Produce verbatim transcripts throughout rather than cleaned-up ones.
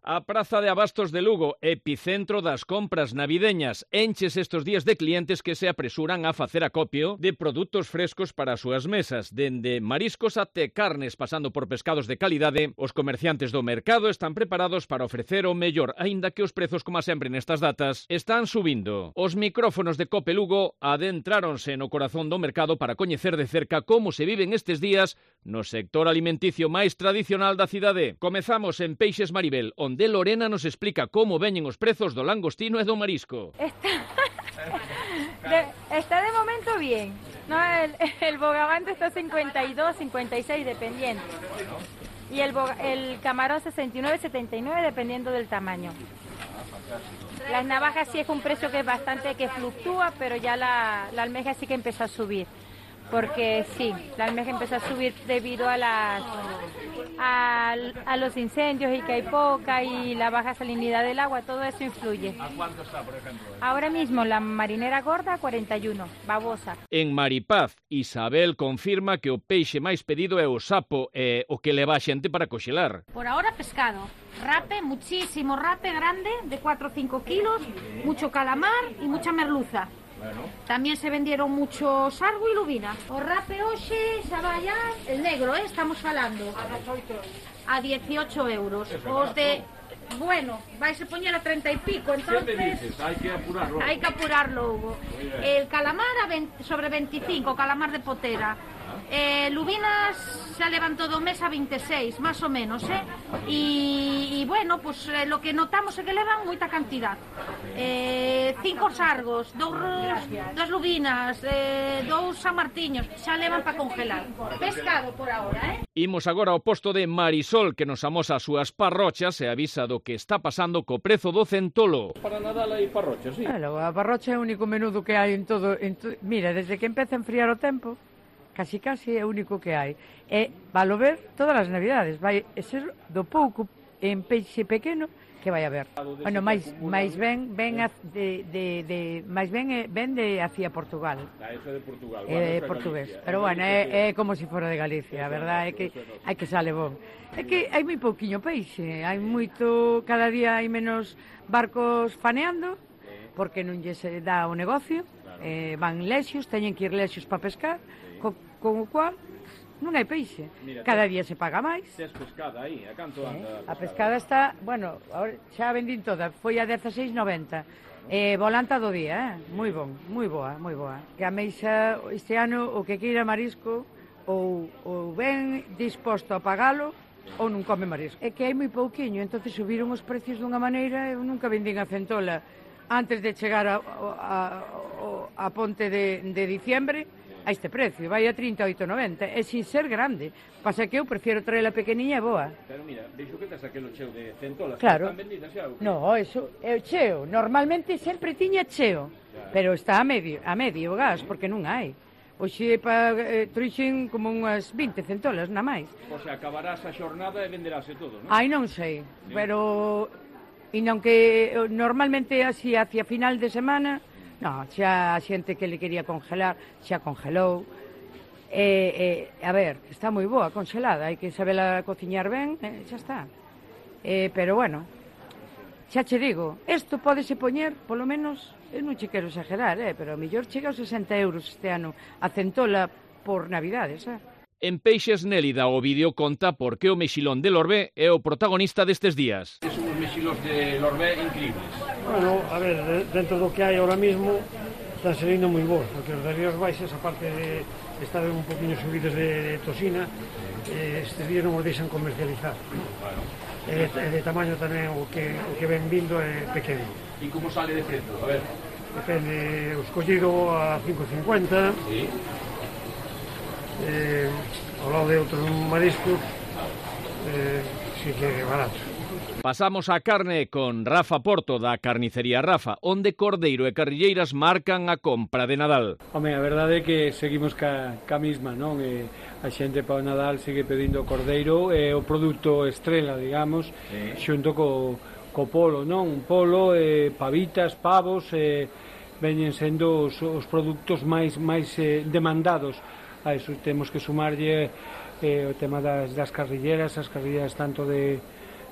A Praza de Abastos de Lugo, epicentro das compras navideñas, enches estos días de clientes que se apresuran a facer acopio de produtos frescos para as súas mesas. Dende mariscos até carnes, pasando por pescados de calidade, os comerciantes do mercado están preparados para ofrecer o mellor, aínda que os prezos, como sempre nestas datas, están subindo. Os micrófonos de Cope Lugo adentráronse no corazón do mercado para coñecer de cerca como se viven estes días no sector alimenticio máis tradicional da cidade. Comezamos en Peixes Maribel, onde de Lorena nos explica como veñen os prezos do langostino e do marisco. Está de, está de momento bien. No, el, el bogavante está cincuenta y dos, cincuenta y seis dependiendo. Y el, el camarón sesenta y nueve, setenta y nueve dependiendo del tamaño. Las navajas sí es un precio que es bastante que fluctúa, pero ya la, la almeja sí que empezó a subir. Porque sí, la almeja empezó a subir debido a las a, a los incendios y que hay poca y la baja salinidad del agua, todo eso influye. ¿A cuánto está, por ejemplo? Ahora mismo la marinera gorda cuarenta y uno, babosa. En Maripaz, Isabel confirma que o peixe máis pedido é o sapo e o que leva a xente para coxelar. Por ahora pescado, rape, muchísimo rape grande de cuatro o cinco kilos, mucho calamar y mucha merluza. Bueno. También se vendieron mucho sargo y lubina. O rape hoxe xa vai a el negro, eh, estamos falando. A dieciocho euros. Os de bueno, vais a poñer a treinta y pico, entonces dices, hay que apurarlo. Hay que apurarlo, Hugo. El calamar a veinte, sobre veinticinco, calamar de potera. Eh, lubinas xa levan todo o mes a veintiséis, más o menos, eh? Y, y bueno, pues eh, lo que notamos é que levan moita cantidad. Eh, cinco sargos, dous, dos lubinas, eh, dous samartiños, xa levan para congelar. Pescado por ahora, eh? Imos agora ao posto de Marisol, que nos amosa as súas parrochas e avisa do que está pasando co prezo do centolo. Para Nadal hai parrochas, sí. Claro, a parrocha é o único menudo que hai en todo... En to... Mira, desde que empeza a enfriar o tempo, casi casi é o único que hai. E valo ver todas as navidades, vai ser do pouco en peixe pequeno que vai haber. Bueno, máis máis ben ben a, de de de máis ben é ben de hacia Portugal. Ah, eso é de Portugal. É bueno, portugués. Galicia. Pero bueno, é, é como se si fora de Galicia, a verdade é que hai que sale bon. É que hai moi pouquiño peixe, hai moito, cada día hai menos barcos faneando porque non lle se dá o negocio. Eh, van lexios, teñen que ir lexios para pescar, co, con o cual non hai peixe. Mira, cada día se paga máis. Tes pescada aí, a canto anda? Eh, a pescada está, bueno, ahora xa a vendín toda, foi a dieciséis noventa. Eh, volanta do día, eh? moi bon, moi boa, moi boa. Que a meixa este ano o que queira marisco ou, ou ben disposto a pagalo ou non come marisco. É que hai moi pouquiño, entonces subiron os precios dunha maneira, eu nunca vendín a centola antes de chegar a, a, a, a ponte de, de diciembre a este precio, vai a trinta e oito noventa, e sin ser grande. Pasa que eu prefiero traer a pequeniña e boa. Pero mira, veixo que tes aquelo cheo de centolas, claro. Están vendidas xa? No, eso é o cheo, normalmente sempre tiña cheo, claro. Pero está a medio, a medio o gas, porque non hai. Oxe, pa, eh, trixen como unhas vinte centolas, na máis. O sea, acabarás a xornada e venderase todo, non? Ai, non sei, sí. Pero... E non que normalmente así hacia final de semana, no, xa a xente que le quería congelar xa congelou. E, e, a ver, está moi boa congelada, hai que sabela cociñar ben, e xa está. E, pero bueno, xa che digo, isto pódese poñer, polo menos, eu non che quero exagerar, eh, pero a mellor chega aos sesenta euros este ano a centola por Navidades, eh? En Peixes Nélida o vídeo conta por que o mexilón de Lorbé é o protagonista destes días. Son os mexilos de Lorbé increíbles. Bueno, a ver, dentro do que hai ahora mismo están saliendo moi bons, porque os de Ríos Baixas, aparte de estar un poquinho subidos de, de tosina, eh, estes días non os deixan comercializar. Bueno. E de, de tamaño tamén o que, o que ven vindo é pequeno. E como sale de precio? A ver. Depende, o escollido a cinco cincuenta. Sí. Eh, ao lado de outros mariscos eh, sí que é barato. Pasamos a carne con Rafa Porto da carnicería Rafa, onde cordeiro e carrilleiras marcan a compra de Nadal. Home, a verdade é que seguimos ca, ca misma, non? E a xente para o Nadal segue pedindo cordeiro, é o produto estrela, digamos, sí. Xunto co, co polo, non? Polo, eh, pavitas, pavos, eh, veñen sendo os, os produtos máis, máis eh, demandados. A iso temos que sumarlle eh, o tema das, das carrilleras, as carrilleras tanto de,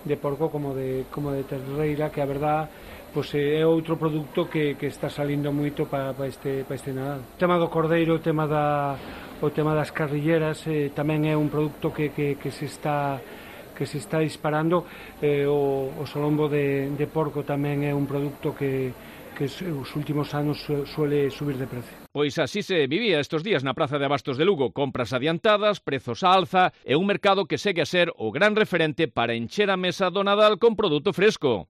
de porco como de, como de terreira, que a verdad pois é outro produto que, que está salindo moito para pa este, pa este Nadal. O tema do cordeiro, o tema, da, o tema das carrilleras eh, tamén é un produto que, que, que se está que se está disparando. eh, o, o solombo de, de porco tamén é un produto que, que os últimos anos suele subir de precio. Pois así se vivía estos días na Praza de Abastos de Lugo, compras adiantadas, prezos á alza e un mercado que segue a ser o gran referente para encher a mesa do Nadal con produto fresco.